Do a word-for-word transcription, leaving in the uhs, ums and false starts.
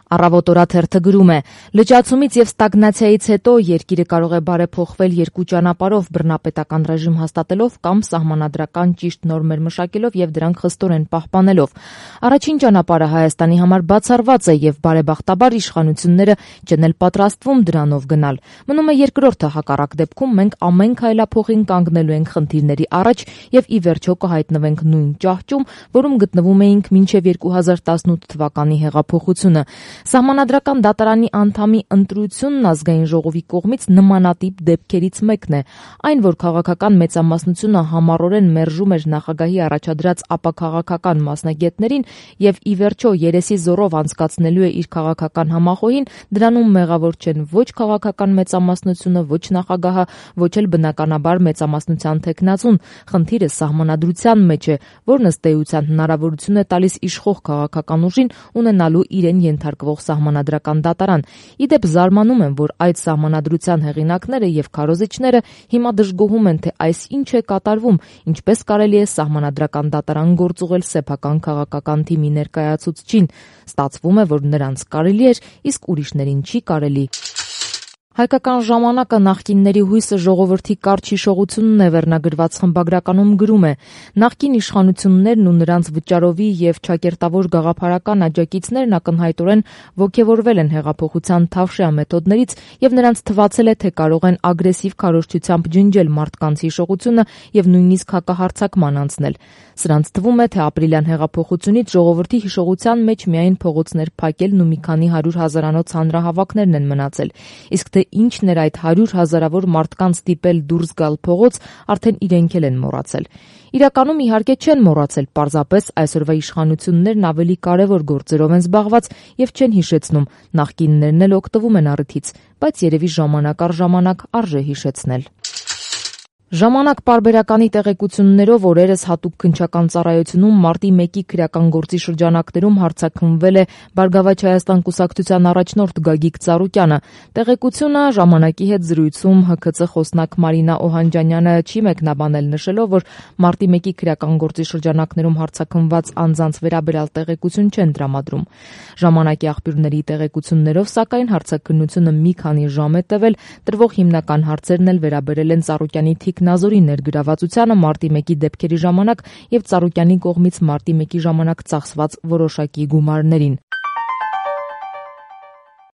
Առավոտ օրաթերթը գրում է. լճացումից եւ ստագնացիայից հետո երկիրը կարող է բարեփոխվել երկու ճանապարհով՝ բռնապետական ռեժիմ հաստատելով կամ սահմանադրական ճիշտ նորմեր մշակելով եւ դրանք խստորեն պահպանելով։ Առաջին ճանապարհը Հայաստանի համար բացառված է եւ բարեբախտաբար իշխանությունները չեն էլ պատրաստվում դրանով գնալ։ Մնում է երկրորդը, հակառակ դեպքում մենք ամեն քայլափոխին կանգնելու ենք խնդիրների առաջ եւ ի վերջո կհայտնվենք նույն ճահճում, որում գտնվում էինք մինչեւ երկու հազար տասնութ թվականի հեղափոխությունը։ Սահմանադրական դատարանի անդամի ընտրությունն ազգային ժողովի կողմից նմանատիպ դեպքերից մեկն է։ Այն, որ քաղաքական մեծամասնությունը համառորեն մերժում էր նախագահի առաջադրած ապաքաղաքական մասնագետներին եւ ի վերջո երեսի զորով անցկացնելու է իր քաղաքական համախոհին, դրանում մեղավոր չեն ոչ քաղաքական մեծամասնությունը, ոչ նախագահը, ոչ էլ բնականաբար մեծամասնության թեկնածուն։ Խնդիրը սահմանադրության մեջ է, որն ըստ էության հնարավորություն է տալիս իշխող քաղաքական ուժին ունենալու իրեն ենթարկվող սահմանադրական դատարան։ Իդեպ զարմանում եմ, որ այդ սահմանադրության հեղինակները եւ քարոզիչները հիմա դժգոհում են, թե այս ինչ է կատարվում, ինչպես կարելի է սահմանադրական դատարան գործուղել սեփական քաղաքական թիմի ներկայացուցչին։ Ստացվում է, որ նրանց կարելի էր, իսկ ուրիշներին չի կարելի։ Հայկական ժամանակը նախկինների հույսը ժողովրդի կարճ հիշողությունն է վերնագրված խմբագրականում գրում է. նախկին իշխանություններն ու նրանց վճարովի եւ ճակերտավոր գաղափարական աջակիցներն ակնհայտորեն ոգևորվել են հեղափոխության թավշյա մեթոդներից եւ նրանց թվացել է, թե կարող են ագրեսիվ քարոզչությամբ ջնջել մարդկանց հիշողությունը եւ նույնիսկ հակահարձակման անցնել։ Սրանց թվում է, թե ապրիլյան հեղափոխությունից ժողովրդի հիշողության մեջ միայն փողոցներ փակելն ու մի քանի հարյուր հազարանոց հանրահավաքներն են մնացել, իսկ թե ինչն էր այդ հարյուր հազարավոր մարդկանց ստիպել դուրս գալ փողոց, արդեն իրենք էլ են մոռացել։ Իրականում իհարկե չեն մոռացել, պարզապես այսօրվա իշխանություններն ավելի կարևոր գործերով են զբաղված եւ չեն հիշեցնում, նախկիններն էլ օգտվում են առիթից, բայց երևի ժամանակ առ ժամանակ արժե հիշեցնել։ Ժամանակ պարբերականի տեղեկություններով օրերս հատուկ քննչական ծառայությունում մարտի մեկի քրեական գործի շրջանակներում հարձակվվել է Բարգավաճ Հայաստան կուսակցության առաջնորդ Գագիկ Ծառուկյանը։ Տեղեկությունը ժամանակի հետ զրույցում Հ K C խոսնակ Մարինա Օհանջանյանը չի մեկնաբանել, նշելով, որ մարտի մեկի քրեական գործի շրջանակներում հարձակվված անձանց վերաբերյալ տեղեկություն չեն տրամադրում։ Ժամանակի աղբյուրների տեղեկություններով, սակայն հարցաքննությունը մի քանի ժամ է տևել, տրվող հիմնական հարցերն էլ վերաբերել են Ծառուկյանի Նազորի ներգրավվածությանը մարտի մեկի դեպքերի ժամանակ եւ Ծառուկյանի կողմից մարտի մեկի ժամանակ ծախսված որոշակի գումարներին։